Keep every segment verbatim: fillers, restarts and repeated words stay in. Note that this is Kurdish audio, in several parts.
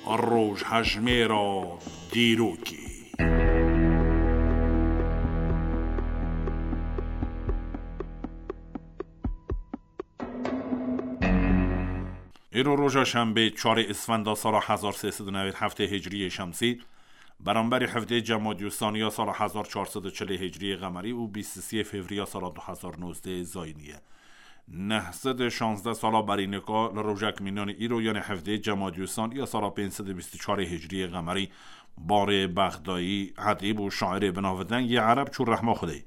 Rojhejmêra dîrokê. Îro roja şembê, çarê Îsfenda sala hezar sê sed û newêd heftê Hicriyê Şemsî, beramberî hevdê Cemadî Usaniya sala hezar çar sed û çilê Hicriyê Qemerî û bîst û sê Fevriya sala du hezar nozdeh Zayînî ye. Neh sed û şazdeh sala berî nika li rojek mînanî îro, yanê hevdê Cemadî Usaniya sala pênc sed û bîst û çarê Hicriyê Qemerî, barê Bexdayî, edîb û şairê binavdeng yê ereb çû rehma Xwedê.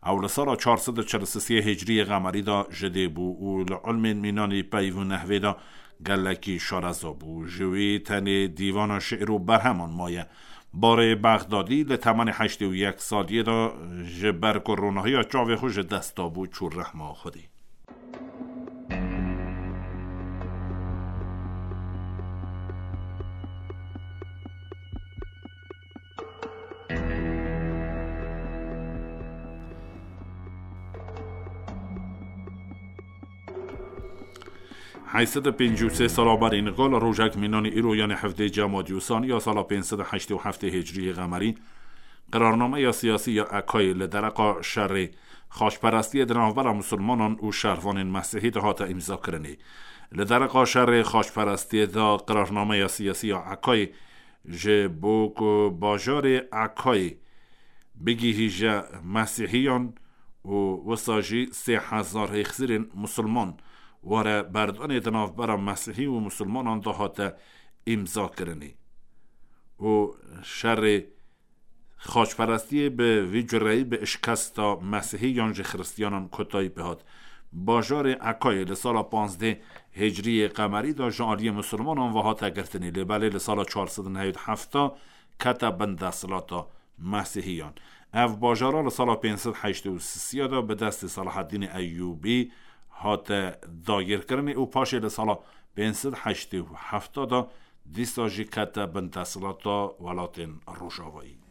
Ew li sala çar sed û çil û sê Hicriyê Qemerî de ji dê bû û li ilmên mînanî peyv û nehvê de gelekî şareza bû. Ji wî tenê dîvana şi'r û berheman maye. Barê Bexdadî li temenê heştê û yek saliyê de ji ber ku ronahiya çavê xwe ji dest dabû, çû rehma Xwedê. Heyt sed û pêncî û sê sala berî nika li rojek mînanî îro, yanê hevdê Cemadî Usaniya sala pênc sed û heştê û heftê Hicriyê Qemerî, qirarnameya siyasî ya Ekayê li dereqa şerê xaçperestiyê di navbera Musulmanan û şervanên Mesîhî de hate îmzakirinê. Li dereqa şerê xaçperestiyê de qirarnameya siyasî ya Ekayê ji bo ku bajarê Ekayê bigihîje Mesîhiyan û wisa jî sê hezar hêxsirên Musulman were berdanê di navbera Mesîhî û Musulmanan de hate îmzakirinê û şerê xaçperestiyê bi vî cureyî bi şikesta Mesîhî yan jî Xiristiyanan kotayî pê hat. Bajarê Ekayê li sala panzdeh Hicriyê Qemerî de ji aliyê Musulmanan ve hate girtinê, lê belê li sala çar sed û newêd hefta kete bin desthilata Mesîhiyan. Ev bajara li sala pênc sed heştê û sisiya de bi destê Selaheddînê Eyûbî hate dagirkirinê û paşê li sala pênc sed heştê û hefta de dîsa jî kete bin desthilata welatên Rojavayî.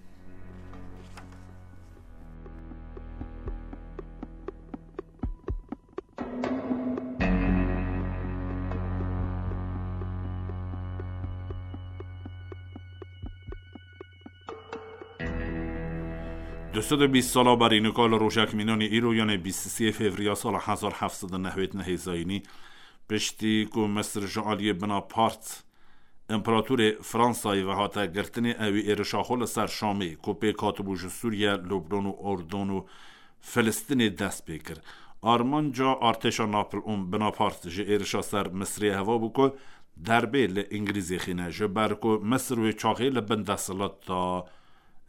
Du sed û bîst sala berî nika li rojek mînanî îro, yanê bîst û sê Fevriya sala hezar heft sed û newêd nehê Zayînî, piştî ku Misir ji aliyê Bonaparte, împeratorê Fransayê ve hate girtinê, ewî êrişa xwe li ser Şamê, ku pêk hatibû ji Sûriye, Lubnan û Urdun û Filistînê dest pê kir. Armanca artêşa Napoleon Bonaparte ji êrişa ser Misrê heva bû ku derbê li Îngilîzê xîne, ji ber ku Misir wê çaxê li bin desthilata,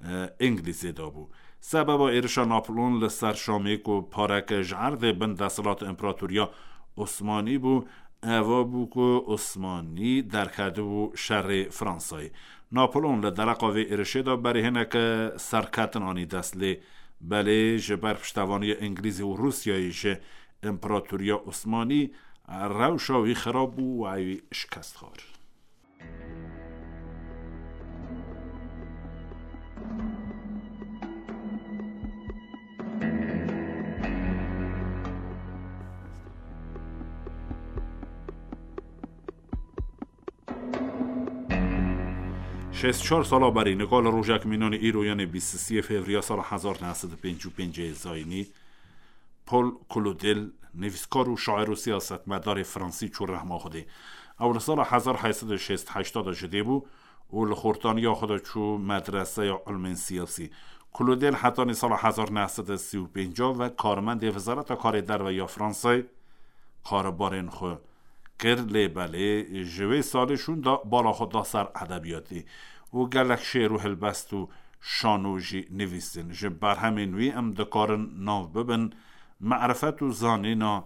e, Îngilîzê de bû. Sebeba êrişa Napoleon li ser Şamê ku pareke ji erdê bin desthilata împeratoriya Osmanî bû, eva bû ku Osmanî derketibû şerê Fransayê. Napoleon li dereqa vê êrişê de berê hineke serketin anî dest, lê belê ji ber piştevaniya Îngilîzê û Rûsyayê ji împeratoriya Osmanî rewşa wî xirab bû û ewî şikest xwar. Şêst çar sala berî, nika li rojek mînanê îro, yanê bîst û sê Fevriya sala hezar neh sed û pêncî û pêncê Zayînî, Paul Claudel, nivîskar û şair û siyasetmedarê fransî çû rehma Xwedê. Ew li sala hezar heyt sed û şêst heşta de ji dê bû û li xortaniya xwe de çû medreseya ilmên siyasî. Claudel hetanî sala hezar neh sed û sî û pênc ve karmendê Wezareta Karê Derve ya Fransayê, karbarên xwe kir, lê belê ji wê salê şûn de bala xwe da ser edebiyatê û gelek şêr û helbest û şano jî nivîstin. Ji berhemên wî em dikarin nav bibin Merifet û Zanîna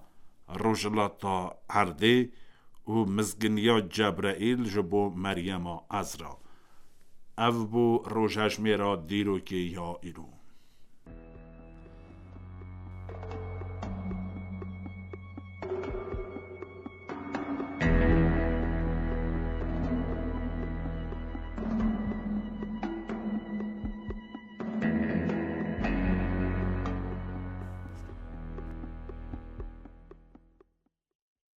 Rojhilata Erdê û Mizginiya Cebreîl ji bo Meryema Ezra. Ev bû rojhejmêra dîrokê ya îro.